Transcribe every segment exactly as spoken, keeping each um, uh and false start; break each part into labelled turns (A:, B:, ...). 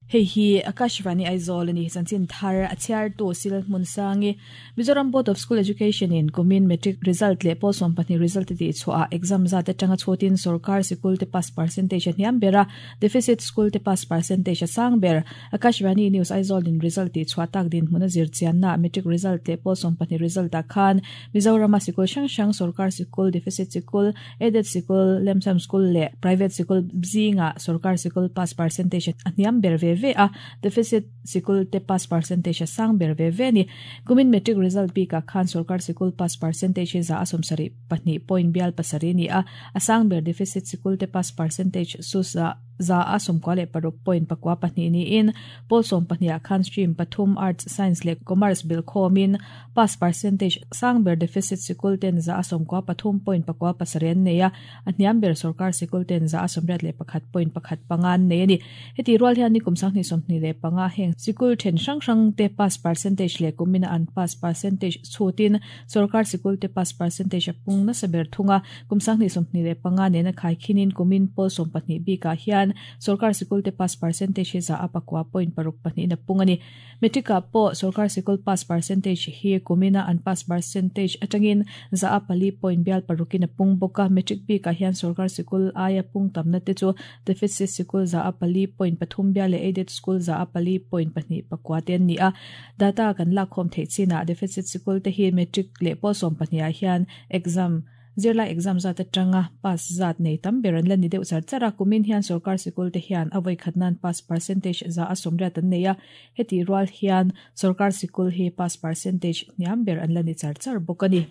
A: Hei hi Akashvani Aizawl ani chanchin thar a chhiar tu sil hmun sangi Mizoram Board of School Education in kumin matric result leh pawl sawm pahnih result ti chhuah exam zat atanga chhuatin sarkar sikul te pass percentage a hniam bera deficit school te pass percentage a sang ber Akashvani News Aizawl in result ti chhuah tak din hmuna zir chianna matric result leh pawl sawm pahnih result ah khan Mizoram a sikul hrang hrang sarkar sikul deficit sikul aided sikul lemsam school leh private sikul zinga sarkar sikul pass percentage a hniam ber ve ve a deficit sikul te pass percentage sang ber ve ve ni kumin matric result bi ka khan sarkar sikul pass percentage za asom sari pahnih point bial pasari ni a asang ber deficit sikul te pass percentage su za za asom kwale paruk point pakwa pahnih ni in pol som pahnih a khan stream pathum arts science le commerce bil khomin pass percentage sang ber deficit sikul ten za asom kwa pathum point pakwa pasaren neya aniam ber sarkar sikul ten za asom rat le pakhat point pakhat pangan ne ni heti rual hian ni kum sang ni som ni le panga heng sikul then hrang hrang te pass percentage le kumina an pass percentage chutin sarkar sikul te pass percentage pung na saber thunga kum sang ni som ni le panga ne na khai khinin kumin pol som pahnih bi ka hian sarkar sikul te pass percentage za apakwa point paruk pahnih na pungani metrika po sarkar sikul pass percentage hi kumina an pass percentage atangin za apali point bial parukin pung boka metric bi ka hian sarkar sikul aya pung tamna te chu deficit sikul za apali point pathum bial le aided school za apali point pahnih pakwa ten ni a data kan lak khom thei china deficit sikul te hi metric le pol som pahnih ah hian exam zirla exam zat atanga pass zat nei tam beran lan ni deuh char chara kumin hian sarkar sikul te hian avoi khatnan pass percentage za asom rat an neia heti rual hian sarkar sikul hi pass percentage niam ber an lan ni char char bokani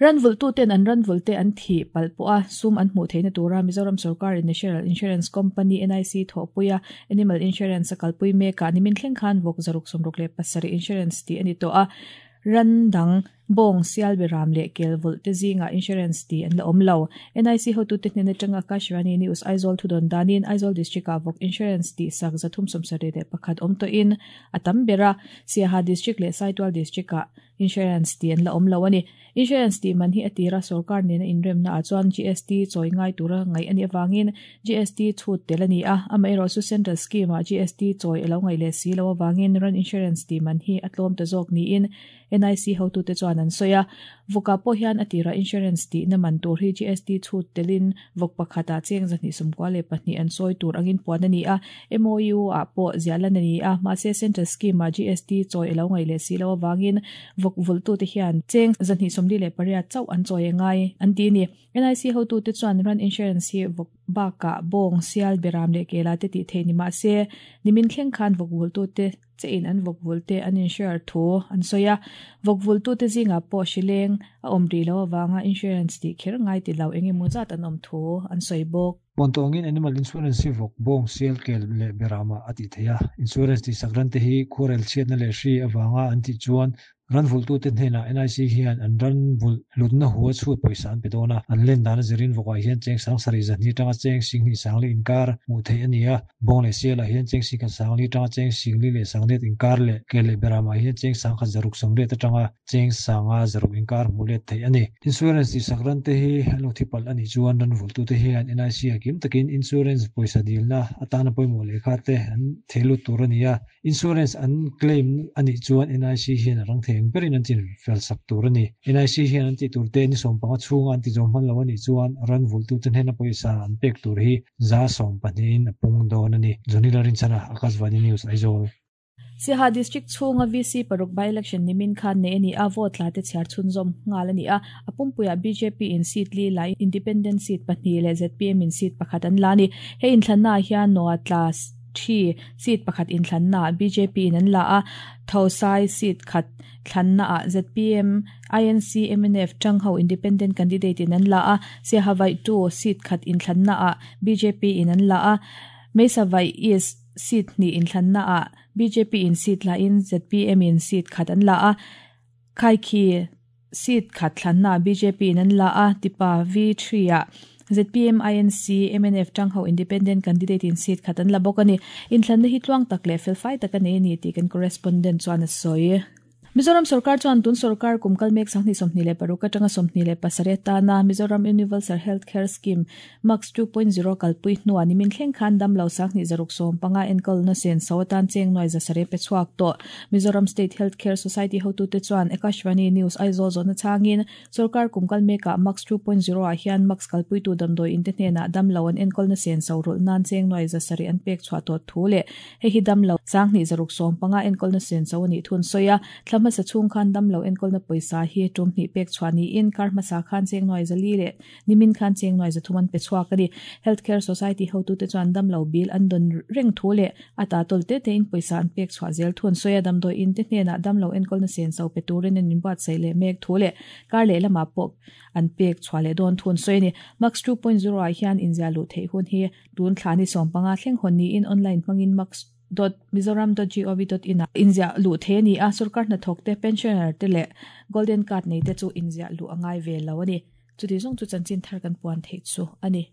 A: ranvul tu ten an ranvul te an thi palpo a sum an hmu theina tura Mizoram Sarkar National Insurance Company N I C thopuia animal insurance kalpui meka nimin thleng khan vok zaruk somruk le pasari insurance ti ani to a randang bong sial beram le kelvul te zinga insurance ti an la omlo N I C hotu te hnen atanga Akashvani News Aizawl thudon danin Aizawl district a vok insurance ti sak zathum somsari le pakhat om to in atam bera Siaha district le Saitual district a insurance ti an la omlo ani insurance ti man hi atira sarkar nena inrem na achuan G S T choi ngai tura ngai ani awangin G S T chhut tel ani a amaero su central scheme a G S T choi alo ngai le si lo awangin ran insurance ti man hi atlom ta jok ni in N I C hotu te chuan an soya voka po hian atira insurance ti na man tur hi G S T chhut telin vok pakhata cheng zani sumkwa le pahnih an soi tur angin puan ani a M O U a po zialan ani a ma se central scheme a G S T choi alo ngai le si lo awangin vok vultu te hian cheng zani somli le paria chau an choi ngai an ti ni N I C hotu te chuan ran insurance hi vok baka bong sial beram le kela te ti theini ma se nimin thleng khan vok vultu te che in an vok vulte an insure thu an soya vok vultu te zinga po shileng a omri lo awanga insurance ti kher ngai ti lo enge mu zat an om thu an soi bok
B: Pontongin animal insurance hi vok bong sial kel le berama ati theya insurance ti sakran te hi khurel chiat na le hri awanga an ti chuan ran vultu te hnena N I C hian an ran vul lutna huwa chhut poisa an pedona an len dana zirin vokwa hian cheng sang sari zani tanga cheng sing ni sangli inkar mu thei ania bong le siala hian cheng sing sangli tanga cheng singli le sanglet inkar le kele berama hian cheng sang kha zaruk samle ta tanga cheng sanga zaruk inkar mule thei ani insurance ti sakran te hi alo thipal ani chuan ran vultu te hian N I C akim takin insurance poisa dilna atana poimo le kha te an thelu turania insurance an claim ani chuan N I C hian rang thei berin an chin fel sak tur ani N I C hian an ti tur te ni som panga chhunga an ti zawm hman lo ani chuan ran vultu ten hena poisa an pek tur hi za som pahnih a pung dawn ani Jonila Rinchana Akashvani News Aizawl
A: Siaha district chhunga V C paruk by election nimin khan ne ani a vote la te chhiar chhunzawm ngal ani a apumpuia B J P in seat li lai independent seat pahnih le Z P M in seat pakhat an la ni he inthlanna hian noa class thi seat pakhat inthlanna B J P in an la a thosai seat khat thlanna a Z P M I N C M N F tangho independent candidate in an la a Siaha two seat khat inthlanna a B J P in an la a Meisavai East seat ni inthlanna a B J P in seat la in Z P M in seat khat an la a Khaikhi seat khat thlanna B J P in an la a Tipa V three a Z P M I N C M N F tangho independent candidate in seat khatan labokani inthlan hi tluang tak le fel fai tak ani ni ti kan correspondent chuan a soi Mizoram sarkar chuan tun sarkar kumkal mek sanghni sawmhnih leh paruk atanga sawmhnih leh pasarih atana Mizoram Universal Health Care Scheme MAX two point zero kalpui hnuah nimin thleng khan damlo sanghnih zaruk sawm panga enkawlna senso atan cheng nuai za sarih pe chhuak tawh. Mizoram State Health Care Society hotute chuan Akashvani News Aizawl zawhna changin sarkar kumkal mekah MAX two point zero ah hian MAX kalpuitu damdawi inte hnenah damlo an enkawlna senso rulh nan cheng nuai za sarih an pek chhuah tawh thu leh hei hi damlo sanghnih zaruk sawm panga enkawlna senso a nih thun sawi a. Thla hmasa chhung khan damlo enkawlna pawisa hi tum hnih pek chhuah niin kar hmasa khan cheng nuai zali leh nimin khan cheng nuai zathum an pe chhuak a ni. Healthcare Society hotute chuan damlo bill an dawn reng thu leh a ta tawl te tein pawisa an pek chhuah zel thun sawi a. Damdawi in te hnenah damlo enkawlna senso pe turin an inbuatsaih leh mek thu leh kar leh lamah pawh an pek chhuah leh dawn thun sawi a ni. MAX two point zero ah hian inzia luh theih hun hi tun thla ni sawm panga thleng hawn niin online hmangin max dot mizoram dot gov dot in ah inzia luh thei a ni a. Sarkar hnathawk te pensioner te leh golden card nei te chu inzia luh a ngai ve lo a ni. Chuti zawng chu chanchin thar kan puan theih chu a ni.